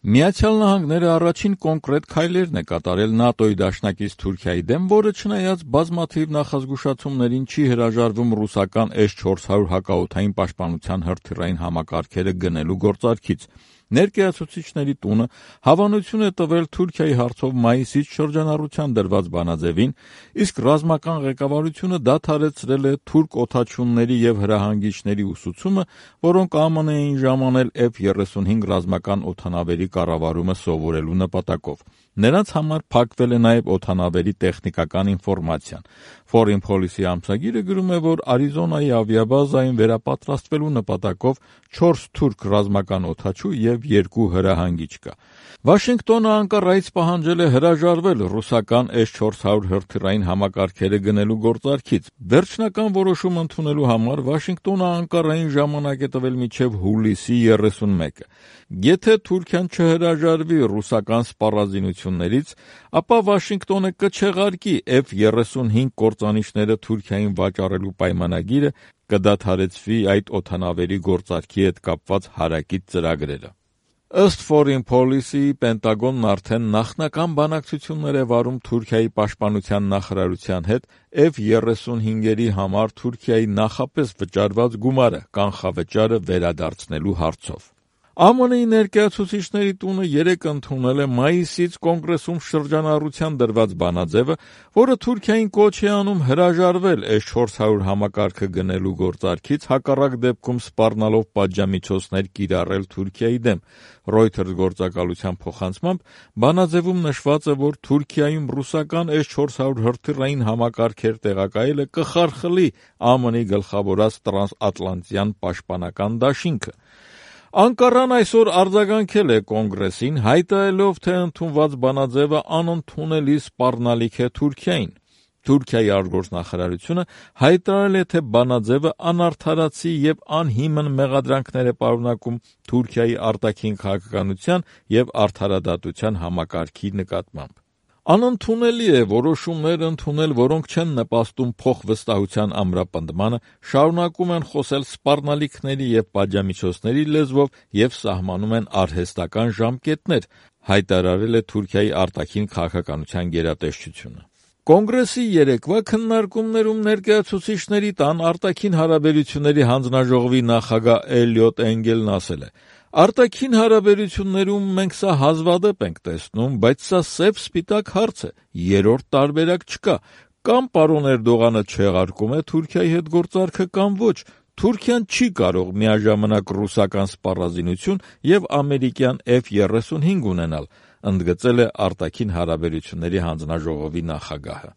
Միացյալ Նահանգները առաջին կոնկրետ քայլերն է կատարել ՆԱՏՕ-ի դաշնակից Թուրքիայի դեմ, որը չնայած բազմաթիվ նախազգուշացումներին չի հրաժարվում ռուսական S-400 հակաօդային պաշտպանության հրթիռային համակարգերը գնելու գործարքից։ Ներկայացուցիչների տունը հավանություն է տվել Թուրքիայի հարցով մայիսից շրջանառության դրված բանաձևին, իսկ ռազմական ղեկավարությունը դադարեցրել է թուրք օդաչունների եւ հրահանգիչների ուսուցումը, որոնք ԱՄՆ-ին ժամանել F-35 ռազմական օդանավերի կառավարումը սովորելու նպատակով։ Նրանց համար փակվել է նաև օդանավերի տեխնիկական ինֆորմացիան։ Foreign Policy ամսագիրը գրում է, որ Արիզոնայի ավիաբազային վերապատրաստվելու նպատակով 4 թուրք ռազմական օդաչու եւ 2 հրահանգիչ կա։ Վաշինգտոնը Անկարայից պահանջել է հրաժարվել ռուսական S-400 հրթիռային համակարգերը գնելու գործարքից։ Վերջնական որոշում ընդունելու համար Վաշինգտոնը Անկարային ժամանակ է տվել մինչև հուլիսի 31-ը։ Եթե Թուրքիան չհրաժարվի ռուսական սպառազինություններից, ապա Վաշինգտոնը կչեղարկի F-35 կործանիչները Թուրքիային վաճառելու պայմանագիրը, կդադարեցվի այդ օդանավերի գործարքի հետ կապված հարակից ծրագրերը։ Ըստ Foreign Policy-ի Պենտագոնն արդեն նախնական բանակցություններ է վարում Թուրքիայի պաշտպանության նախարարության հետ F-35-երի համար Թուրքիայի նախապես վճարված գումարը կանխավճարը վերադարձնելու հարցով։ ԱՄՆ-ի ներկայացուցիչների տունը երեկ ընդունել է մայիսից կոնգրեսում շրջանառության դրված բանաձևը, որը Թուրքիային կոչ է անում հրաժարվել S-400 համակարգը գնելու գործարքից, հակառակ դեպքում սպառնալով պատժամիջոցներ կիրառել Թուրքիայի դեմ։ Reuters գործակալության փոխանցմամբ բանաձևում նշված է, որ Թուրքիայում ռուսական S-400 հրթիռային համակարգեր տեղակայելը կխարխլի ԱՄՆ-ի գլխավորած տրանսատլանտյան պաշտպանական դաշինքը։ Անկարան այսօր արձագանքել է կոնգրեսին, հայտարարելով, թե ընդունված բանաձևը անընդունելի սպառնալիք է Թուրքիային։ Թուրքիայի արտգործնախարարությունը հայտարարել է, թե բանաձևը անարդարացի եւ անհիմն մեղադրանքներ է պարունակում Թուրքիայի արտաքին քաղաքականության եւ արդարադատության համակարգի նկատմամբ։ Անընդունելի է որոշումներ ընդունել, որոնք չեն նպաստում փոխվստահության ամրապնդմանը, շարունակում են խոսել սպառնալիքների եւ պատժամիջոցների լեզվով եւ սահմանում են արհեստական ժամկետներ, հայտարարել է Թուրքիայի արտաքին քաղաքականության գերատեսչությունը։ Կոնգրեսի երեկվա քննարկումներում ներկայացուցիչների տան արտաքին հարաբերությունների հանձնաժողովի նախագահ Էլիոտ Էնգելն ասել է. «Արտաքին հարաբերություններում մենք սա հազվադեպ ենք տեսնում, բայց սա սև-սպիտակ հարց է, երրորդ տարբերակ չկա։ Կամ պարոն Էրդողանը չեղարկում է Թուրքիայի հետ գործարքը, կամ ոչ։ Թուրքիան չի կարող միաժամանակ ռուսական սպառազինություն եւ ամերիկյան F-35 ունենալ», ընդգծել է արտաքին հարաբերությունների հանձնաժողովի նախագահը։